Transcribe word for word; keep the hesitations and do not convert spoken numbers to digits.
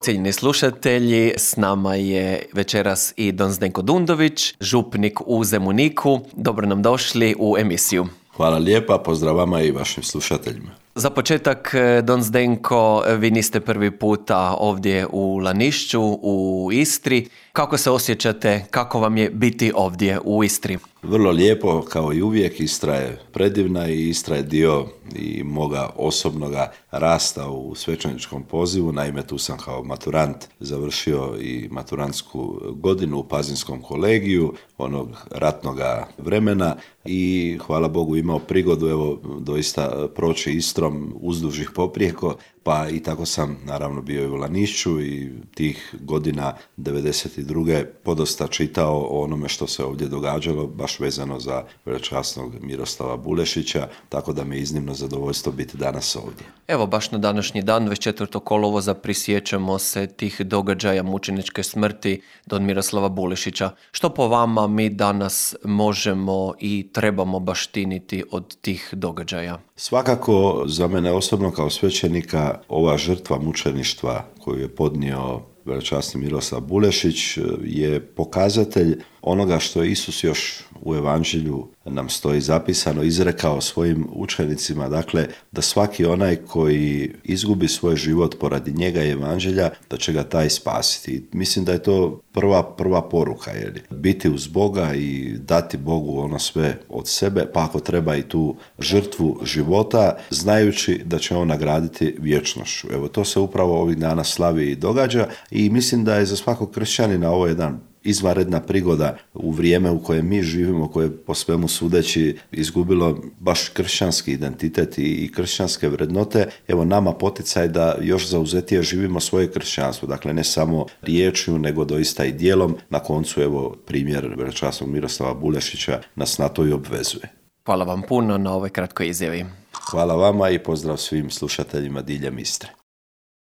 Cijenjeni slušatelji, s nama je večeras i don Zdenko Dundović, župnik u Zemuniku. Dobro nam došli u emisiju. Hvala lijepa, pozdrav vama i vašim slušateljima. Za početak, don Zdenko, vi niste prvi puta ovdje u Lanišću, u Istri. Kako se osjećate, kako vam je biti ovdje u Istri? Vrlo lijepo, kao i uvijek. Istra je predivna i Istra je dio i moga osobnoga rasta u svećeničkom pozivu. Naime, tu sam kao maturant završio i maturantsku godinu u Pazinskom kolegiju onog ratnoga vremena i hvala Bogu imao prigodu evo doista proći Istrom uzduž i poprijeko, pa i tako sam naravno bio i u Lanišću i tih godina devedeset druge podosta čitao o onome što se ovdje događalo, baš vezano za velečasnog Miroslava Bulešića, tako da mi je iznimno zadovoljstvo biti danas ovdje. Evo, baš na današnji dan, dvadeset četvrtog kolovoza, prisjećamo se tih događaja mučeničke smrti don Miroslava Bulešića. Što po vama mi danas možemo i trebamo baštiniti od tih događaja? Svakako, za mene osobno kao svećenika, ova žrtva mučeništva koju je podnio velečasni Miroslav Bulešić je pokazatelj onoga što je Isus još u Evanđelju nam stoji zapisano, izrekao svojim učenicima, dakle da svaki onaj koji izgubi svoj život poradi njega i Evanđelja, da će ga taj spasiti. Mislim da je to prva, prva poruka, jer biti uz Boga i dati Bogu ono sve od sebe, pa ako treba i tu žrtvu života, znajući da će on nagraditi vječnošću. Evo, to se upravo ovih dana slavi i događa i mislim da je za svakog kršćanina ovo jedan izvanredna prigoda u vrijeme u kojem mi živimo, koje je po svemu sudeći izgubilo baš kršćanski identitet i kršćanske vrednote. Evo nama poticaj da još zauzetije živimo svoje kršćanstvo, dakle ne samo riječju nego doista i djelom. Na koncu evo primjer velečasnog Miroslava Bulešića nas na to i obvezuje. Hvala vam puno na ovoj kratkoj izjavi. Hvala vama i pozdrav svim slušateljima diljem Istre.